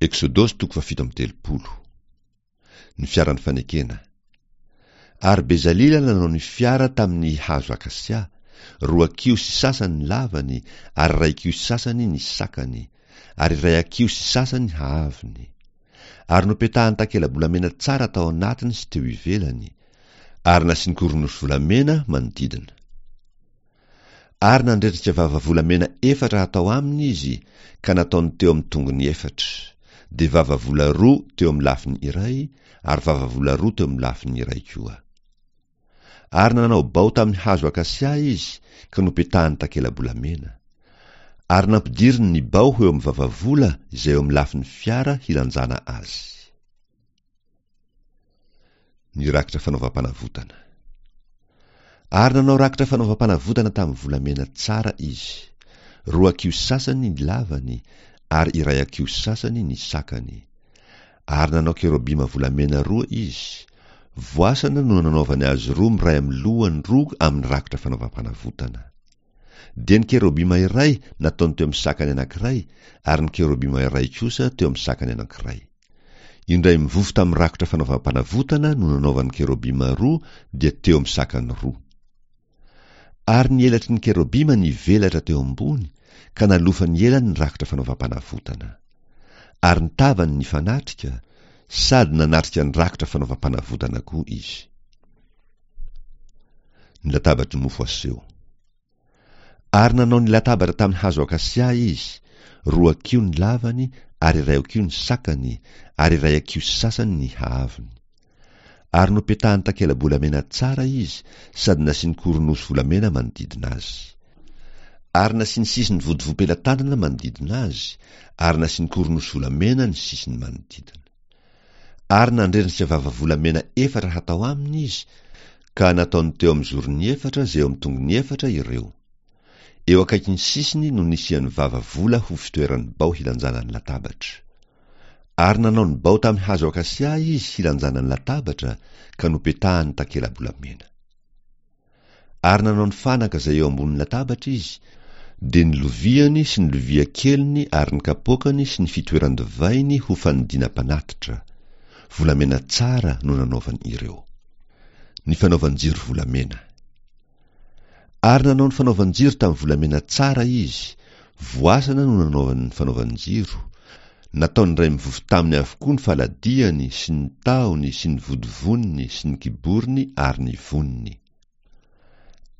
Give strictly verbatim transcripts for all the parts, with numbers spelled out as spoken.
Eksodosy toko fahafito amby telopolo. Ny fiaran'ny fanekena. Ary Bezalila nanao ny fiara tamin'ny hazo akasia, roa hakiho sy sasany ny lavany, ary iray hakiho sy sasany ny sakany, ary iray hakiho sy sasany ny haavony. Ary nopetahany takela-bolamena tsara tao anatiny sy teo ivelany, ary nasiany koronosy volamena manodidina. Ary nandrendrika vava volamena efatra hatao aminy izy, ka nataony teo amin'ny tongony efatra, dia vava vola roa teo amin'ny lafiny iray, ary vava vola roa teo amin'ny lafiny iray koa. Ary nanao bao tamin'ny hazo akasia izy, ka nopetahany takela-bolamena. Ary nampidiriny ny bao ho eo amin'ny vavavola izay eo amin'ny lafiny fiara hilanjana azy. Ny rakitra fanaovam-panavotana. Ary nanao rakitra fanaovam-panavotana tamin'ny volamena tsara izy. Roa hakiho sasany ny lavany, ary iray hakiho sasany ny sakany. Ary nanao kerobima volamena roa izy. Voasana no nanaovany azy roa miray amin'ny lohany roa amin'ny rakitra fanaovam-panavotana. Dia ny kerobima iray nataony teo amin'ny sakany anankiray, ary ny kerobima iray kosa teo amin'ny sakany anankiray. Indray mivofo tamin'ny rakitra fanaovam-panavotana no nanaovany kerobima roa, dia teo amin'ny sakany roa. Ary ny elatry ny kerobima nivelatra teo ambony, ka nalofany elany ny rakitra fanaovam-panavotana. Ary ny tavany nifanatrika, sady nanatrika ny rakitra fanaovam-panavotana koa izy. Ny latabatry ny mofo aseho. Ary nanao ny latabatra tamin'ny hazo akasia izy, roa hakiho ny lavany, ary iray hakiho ny sakany, ary iray hakiho sy sasany ny haavony. Ary nopetahany takela-bolamena tsara izy, sady nasiany koronosy volamena manodidina azy. Ary nasiany sisiny vodivom-pelatanana manodidina azy, ary nasiany koronosy volamena ny sisiny manodidina. Ary nandrendrika vava volamena efatra hatao aminy izy, ka nataony teo amin'ny zorony efatra izay eo amin'ny tongony efatra ireo. Eo akaikin'ny sisiny no nisian'ny vava vola ho fitoeran'ny bao hilanjana ny latabatra. Ary nanao ny bao tamin'ny hazo akasia izy hilanjana ny latabatra, ka nopetahany takela-bolamena. Ary nanao ny fanaka izay eo ambonin'ny latabatra izy, dia ny loviany sy ny lovia keliny ary ny kapoakany sy ny fitoeran-divainy ho fanodinam-panatitra. Volamena tsara no nanaovany ireo. Ny fanaovan-jiro volamena. Ary nanao ny fanaovan-jiro tamin'ny volamena tsara izy, voasana no nanaovany ny fanaovan-jiro, nataony iray mivofo taminy avokoa ny faladiany sy ny tahony sy ny vodivoniny sy ny kiborony ary ny voniny.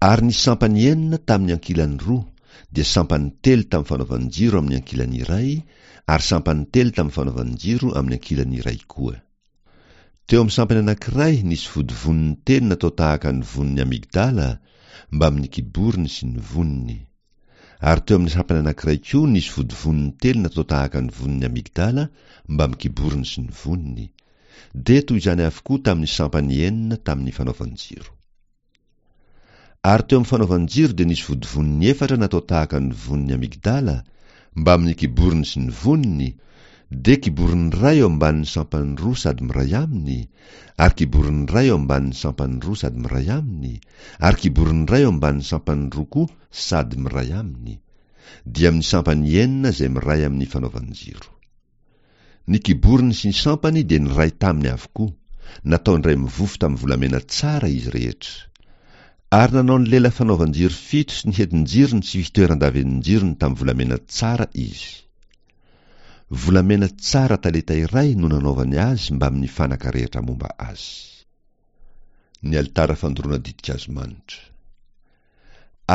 Ary ny sampany enina tamin'ny ankilany roa, dia sampany telo tamin'ny fanaovan-jiro amin'ny ankilany iray, ary sampany telo tamin'ny fanaovan-jiro amin'ny ankilany iray koa. Teo amin'ny sampany anankiray nisy vodivoniny telo natao tahaka ny vonin'ny amygdala, mbamin'ny kiborony sy ny voniny. Ary teo amin'ny sampany anankiray koa nisy vodivoniny telo natao tahaka ny vonin'ny amygdala, mbamin'ny kiborony sy ny voniny. Dia toy izany avokoa tamin'ny sampany enina tamin'ny fanaovan-jiro. Ary teo amin'ny fanaovan-jiro dia nisy vodivoniny efatra natao tahaka ny vonin'ny amygdala, mbamin'ny kiborony sy ny voniny, dia kiborony iray eo ambanin'ny sampany roa sady miray aminy, ary kiborony iray eo ambanin'ny sampany roa sady miray aminy, ary kiborony iray eo ambanin'ny sampany roa koa sady miray aminy, dia amin'ny sampany enina izay miray amin'ny fanaovan-jiro. Ny kiborony sy ny sampany dia niray taminy avokoa, nataony iray mivofo tamin'ny volamena tsara izy rehetra. Ary nanao ny lela fanaovan-jiro fito sy ny hetin-jirony sy fitoeran-davenin-jirony tamin'ny volamena tsara izy. Volamena tsara talenta iray no nanaovany azy mbamin'ny fanaka rehetra momba azy. Ny alitara fandoroana ditin-kazo manitra.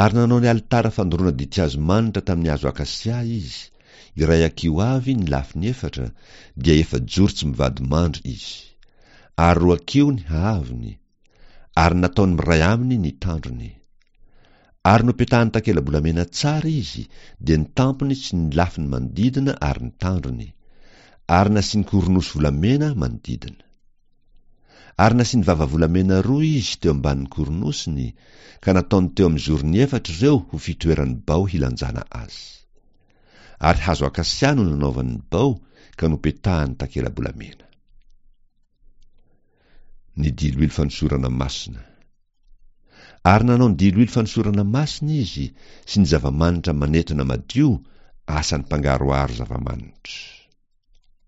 Ary nanao ny alitara fandoroana ditin-kazo manitra tamin'ny hazo akasia izy, iray hakiho avy ny lafiny efatra, dia efa-joro tsy mivadi-mandry izy. Ary roa hakiho ny haavony, ary nataony miray aminy ny tandrony. Ary nopetahany takela-bolamena tsara izy, dia ny tampony sy ny lafiny manodidina ary ny tandrony. Ary nasiany koronosy volamena manodidina. Ary nasiany vava volamena roa izy teo ambanin'ny koronosiny, ka nataony teo amin'ny zorony efatra ireo ho fitoeran'ny bao hilanjana azy. Ary hazo akasia no nanaovany ny bao, ka nopetahany takela-bolamena. Ny diloilo fanosorana masina. Ary nanao ny diloilo fanosorana masina izy sy ny zava-manitra manetona madio, asan'ny mpangaroharo zava-manitra.